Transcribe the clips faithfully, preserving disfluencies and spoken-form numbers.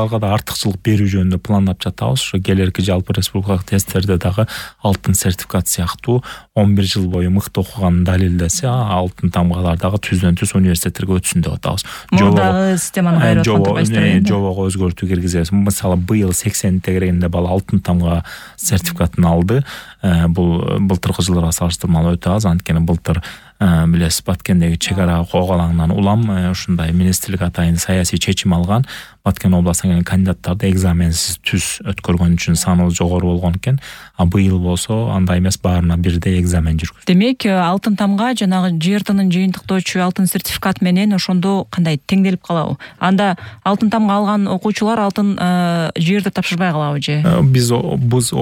аларга да артыкчылык берүү жөнүндө пландап жатабыз. Ошо келерки жалпы республикалык тесттерде дагы алтын сертификат сыяктуу он бир жыл бою мыкты окуганын далилдесе, алтын тамгалар дагы түздөн түз университеттерге өтсүн деп атабыз. Модагы системаны кайра кантырбайсыздар. Жобого өзгөртүү киргизебиз. Мисалы быйыл сексен тегерегинде бала алтын тамга сертификатын алды. Бул былтыркы жылдарга салыштырмалуу өтө аз. Анткени былтыр билесиз Баткендеги чек ара когалаңынан улам ушундай министрлик атайын саясий чечим алган. Баткен областына келген кандидаттарды экзаменсиз түз өткөргөн үчүн саны жогору болгон экен. А быйыл болсо андай эмес, баарына бирдей экзамен жүргүзүлөт. Демек, алтын тамга жанагы жертынын жыйынтыктоочу алтын сертификат менен ошондо кандай теңделип калабы? Анда алтын тамга алган окуучулар алтын жерди тапшырбай калабы же? Биз биз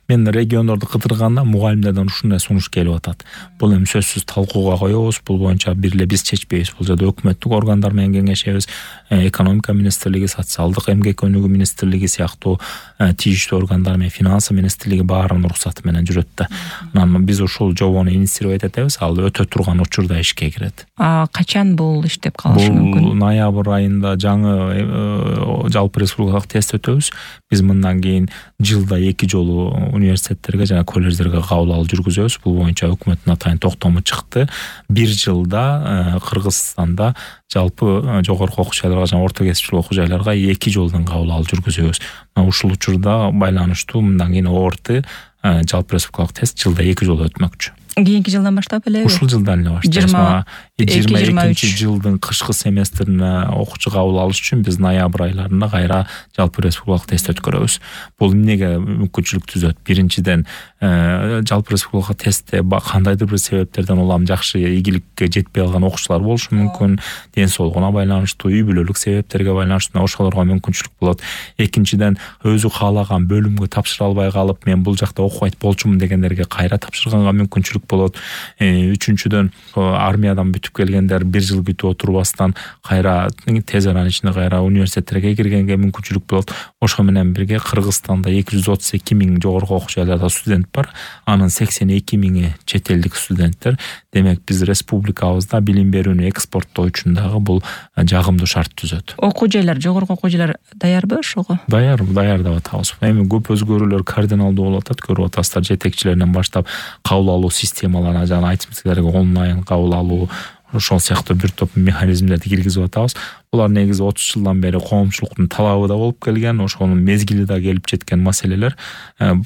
мен региондорду кыдырганда мугалимдерден ушундай сунуш келип атат. Бул эми сөзсүз талкууга коебуз. Бул боюнча бир эле биз чечпейбиз. Бул жерде өкмөттүк органдар менен кеңешебиз. Экономика министрлиги, социалдык эмгек өнүгүү министрлиги сыяктуу тийиштүү органдар менен финансы министрлиги баарынын уруксаты менен жүрөт да. Анан биз ушул жобону инициировать этебиз. Ал өтө турган учурда ишке кирет. А качан бул иштеп калышы мүмкүн? Бул ноябрь айында жаңы жалпы республикалык тест өтөбүз. Биз мындан кийин жылда эки жолу университеттерге жана колледждерге кабыл алуу жүргүзөбүз. Бул боюнча өкмөттүн атайын токтому чыкты. Бир жылда Кыргызстанда жалпы жогорку окуу жайларга жана орто кесипчилик окуу жайларга эки жолдон кабыл алуу жүргүзөбүз. Ушул учурда байланыштуу мындан кийин ОРТ жалпы республикалык тест жылда эки жолу өтмөкчү. Кийинки жылдан баштап элеби? Ушул жылдан эле баштайбыз. жыйырма экинчи жылдын кышкы семестрине окуучу кабыл алыш үчүн биз ноябрь айларында кайра жалпы республикалык тест өткөрөбүз. Бул эмнеге мүмкүнчүлүк түзөт? Биринчиден, жалпы республикалык тестте кандайдыр бир себептерден улам жакшы ийгиликке жетпей калган окуучулар болушу мүмкүн. Ден соолугуна байланыштуу, үй бүлөлүк себептерге байланыштуу ошолорго мүмкүнчүлүк болот. Экинчиден, өзү каалаган бөлүмгө тапшыра албай калып, мен бул жакта окубайт болчумун дегендерге кайра тапшырганга мүмкүнчүлүк болот. Үчүнчүдөн, армиядан бүтүп келгендер бир жыл күтүп отурбастан кайра тез аранын ичинде кайра университеттерге киргенге мүмкүнчүлүк болот. Ошо менен бирге Кыргызстанда эки жүз отуз эки миң жогорку окуу жайларда студент бар. Анын сексен эки миңи чет элдик студенттер. Демек, биз республикабызда билим берүүнү экспорттоо үчүн дагы бул жагымдуу шарт түзөт. Окуу жайлар, жогорку окуу жайлар даярбы ошого? Даяр, даярдап атабыз. Эми көп өзгөрүүлөр кардиналдуу болуп атат. Көрүп атасыздар, жетекчилеринен баштап кабыл алуу системаларына, жана айтымсыздерге онлайн кабыл алуу, ошол сыяктуу бир топ механизмдерди киргизип атабыз. Булар негизи отуз жылдан бери коомчулуктун талабы да болуп келген, ошонун мезгили да келип жеткен маселелер.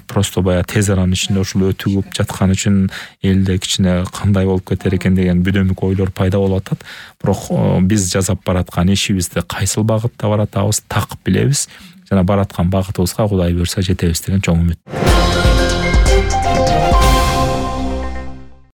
Просто баягы тез аранын ичинде ушул өтүп жаткан үчүн элде кичине кандай болуп кетер экен деген бүдөмүк ойлор пайда болуп атат. Бирок биз жасап бараткан ишибизди кайсыл багытта баратабыз, так билебиз. Жана бараткан багытыбызга Кудай буйрса жетебиз деген чоң үмүт.